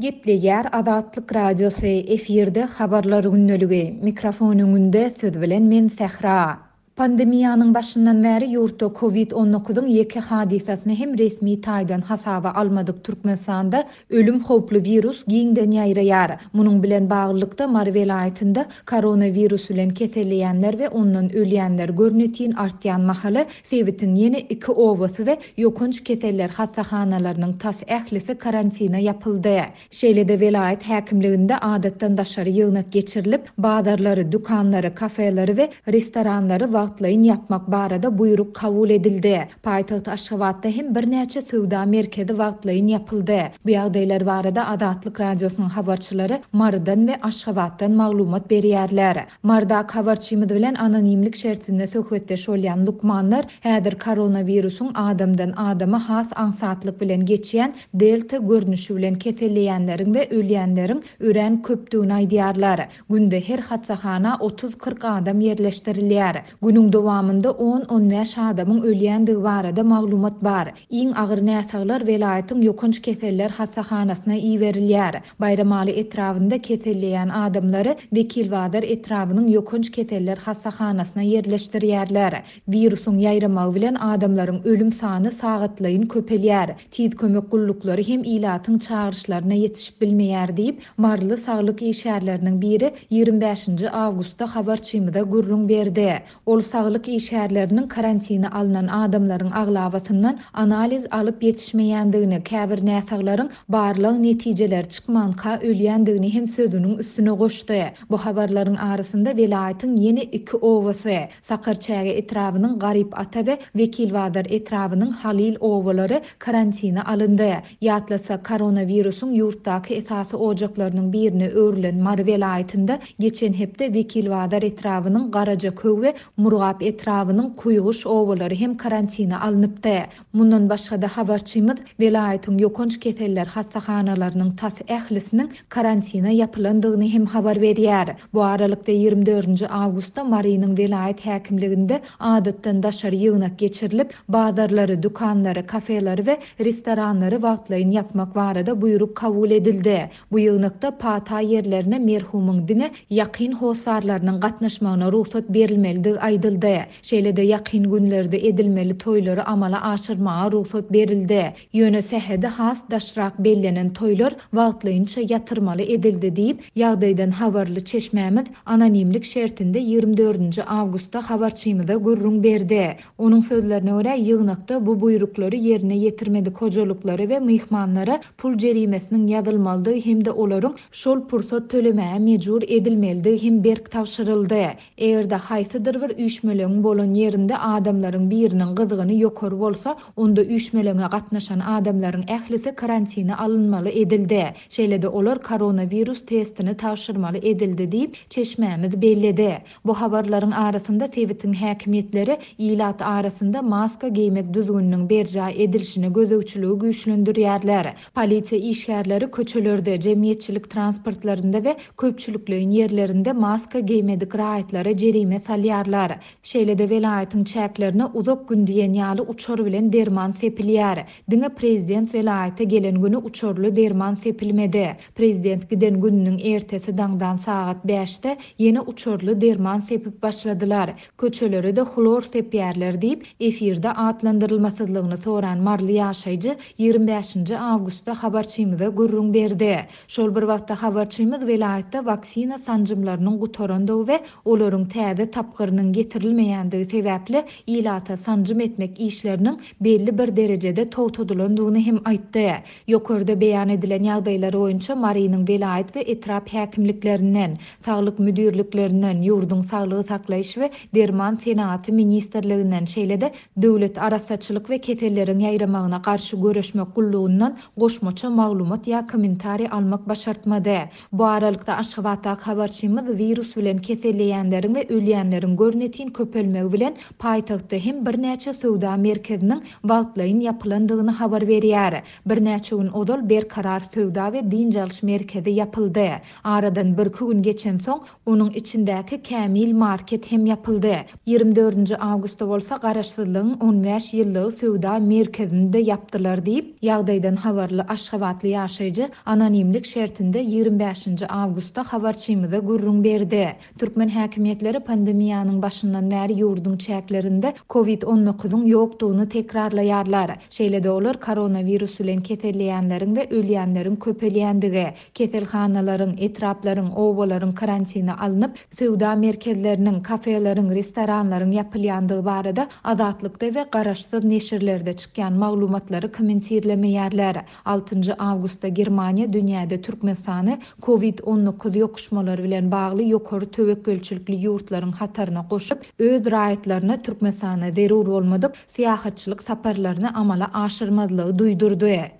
Gepleýär Azatlyk Radiosy, efirde Habarlar gündeligi, mikrofon öňünde siz bilen men Sähra. Pandemiýanyň başyndan bäri ýurtda Covid 19 yň ýeke hadysasyny hem resmi taýdan hasaba almadyk Türkmenistanda ölüm howply wirus giňden ýaýraýar. Munuň bilen baglylykda Mary welaýatynda koronawirus bilen keselleýänler we ondan ölýänler görnetin artýan mahaly sebitiň ýene iki obasy we ýokanç keseller hassahanalarynyň tas ählisi karantina ýapyldy. Şeýle-de welaýat häkimliginde adatdan daşary ýygnak geçirilip, bazarlary, dükanlary, kafeleri we restoranlary wagtlaýyn ýapmak barada buýruk kabul edildi. Paýtagt Aşgabatda hem birnäçe söwda merkezi wagtlaýyn ýapyldy. Bu ýagdaýlar barada Azatlyk Radiosynyň habarçylary Marydan we Aşgabatdan maglumat berýärler. Marydaky habarçymyz bilen anonimlik şertinde söhbetdeş bolýan lukmanlar häzir koronawirusyň adamdan adama has aňsatlyk bilen geçýän Delta görnüşi bilen keselleýänleriň we ölýänleriň örän köpdügini aýdýarlar. Günde her hassahana otuz-kyrk adam ýerleşdirilýär. Günüň dowamynda on-on bäş adamyň ölýändigi barada maglumat bar. Iň agyr näsaglar welaýatyň ýokanç keseller hassahanasyna iberilýär. Baýramaly etrabynda keselleýän adamlary Wekilbazar etrabynyň ýokanç keseller hassahanasyna ýerleşdirýärler. Wirusyň ýaýramagy bilen adamlaryň ölüm sany sagatlaýyn köpelýär. Tiz kömek gulluklary hem ilatyň çagyryşlaryna ýetişip bilmeýär diýip, maryly saglyk işgärleriniň biri 25-nji awgustda habarçymyza gürrüň berdi. Ol saglyk işgärleriniň karantina alnan adamlaryň aglabasyndan analiz alyp ýetişmeýändigini, käbir näsaglaryň barlag netijeleri çykmanka ölýändigini hem sözüniň üstüne goşdy. Bu habarlaryň arasynda welaýatyň ýene iki obasy, Sakarçäge etrabynyň Garyp ata we Wekilbazar etrabynyň Halyl obalary karantina alyndy. Ýatlatsak, koronawirusyň ýurtdaky esasy ojaklarynyň birine öwrülen Mary welaýatynda geçen hepde Wekilbazar etrabynyň Garajaköw we Murgap etrabynyň Kuýguş obalary hem karantina alnypdy. Mundan başga-da habarçymyz welaýatyň ýokanç keseller hassahanalarynyň tas ählisiniň karantina ýapylandygyny hem habar berýär. Bu aralykda, 24 nji awgustda Marynyň welaýat häkimliginde adatdan daşary ýygnak geçirilip, bazarlary, dükanlary, kafeleri we restoranlary wagtlaýyn ýapmak barada buýruk kabul edildi. Bu ýygnakda pata ýerlerine merhumyň diňe ýakyn hossarlarynyň gatnaşmagyna rugsat berilmelidigi aýdyldy. Şeýle-de ýakyn günlerde edilmeli toýlary amala aşyrmaga rugsat berildi. Ýöne sähedi has daşrak bellenen toýlar wagtlaýynça ýatyrmaly edildi diýip, ýagdaýdan habarly çeşmämiz anonimlik şertinde 24 nji awgustda habarçymyza gürrüň berdi. Onuň sözlerine görä, ýygnakda bu buýruklary ýerine ýetirmedik hojalyklara we myhmanlara pul jerimesiniň ýazylmalydygy hem-de olaryň şol pursat tölemäge mejbur edilmelidigi hem berk tabşyryldy. Eger-de haýsydyr bir üýşmeleňiň bolan ýerinde adamlaryň biriniň gyzgyny ýokary bolsa, onda üýşmeleňe gatnaşan adamlaryň ählisi karantina alynmaly edildi. Şeýle-de olar koronawirus testini tabşyrmaly edildi diýip, çeşmämiz belledi. Bu habarlaryň arasynda sebitiň häkimiýetleri ilat arasynda maska geýmek düzgüniniň berjaý edilişine gözegçiligi güýçlendirýärler. Polisiýa işgärleri köçelerde, jemgyýetçilik transportlarynda we köpçülikleýin ýerlerinde maska geýmedik raýatlara jerime salýarlar. Şeýle-de welaýatyň çäklerine uzak gün diýen ýaly uçar bilen derman sepilýär. Diňe prezident welaýata gelen güni uçarly derman sepilmedi. Prezident giden gününiň ertesi daňdan sagat bäşde ýene uçarly derman sepip başladylar. Köçelere-de hlor sepýärler diýip, efirde atlandyrylmasyzlygyny soran maryly ýaşaýjy 25 nji awgustda habarçymyza gürrüň berdi. Şol bir wagtda habarçymyz welaýatda waksina sanjymlarynyň gutarandygy we olaryň täze tapgyrynyň getirilmeýändigi sebäpli ilata sanjym etmek işleriniň belli bir derejede togtadylandygyny hem aýtdy. Ýokarda beýan edilen ýagdaýlar boýunça Marynyň welaýat we etrap häkimliklerinden, saglyk müdirliklerinden, ýurduň Saglygy saklaýyş we derman senagaty ministrliginden, şeýle-de Döwlet arassaçylyk we keselleriň ýaýramagyna garşy göreşmek gullugyndan goşmaça maglumat ýa kommentariý almak başartmady. Bu aralykda, Aşgabatdaky habarçymyz wirus bilen keselleýänleriň we ölýänleriň görnetin. görnetin köpelmegi bilen paýtagtda hem birnäçe söwda merkeziniň wagtlaýyn ýapylandygyny habar berýär. Birnäçe gün ozal Berkarar söwda we dynç alyş merkezi ýapyldy. Aradan birki gün geçensoň, onuň içindäki Kämil market hem ýapyldy. Ýigrimi dördünji awgustda bolsa Garaşsyzlygyň 15 ýyllygy söwda merkezini-de ýapdylar diýip, ýagdaýdan habarly aşgabatly ýaşaýjy anonimlik şertinde ýigrimi bäşinji awgustda habarçymyza gürrüň berdi. Türkmen häkimiýetleri pandemiýanyň başyndan bäri ýurduň çäklerinde Covid 19-yň ýokdugyny tekrarlaýarlar. Şeýle-de olar koronawirus bilen keselleýänleriň we ölýänleriň köpelýändigi, keselhanalaryň, etraplaryň, obalaryň karantine alnyp, söwda merkezleriniň, kafeleriň, restoranlaryň ýapylýandygy barada Azatlykda we garaşsyz neşirlerde çykýan maglumatlary kommentirlemeýärler. Altynjy awgustda Germaniýa dünýäde Türkmenistany Covid 19 ýokuşmalary bilen bagly ýokary töwekgelçilikli ýurtlaryň hataryna goşup, öz raýatlaryna Türkmenistana zerur bolmadyk syýahatçylyk saparlaryny amala aşyrmazlygy duýdurdy.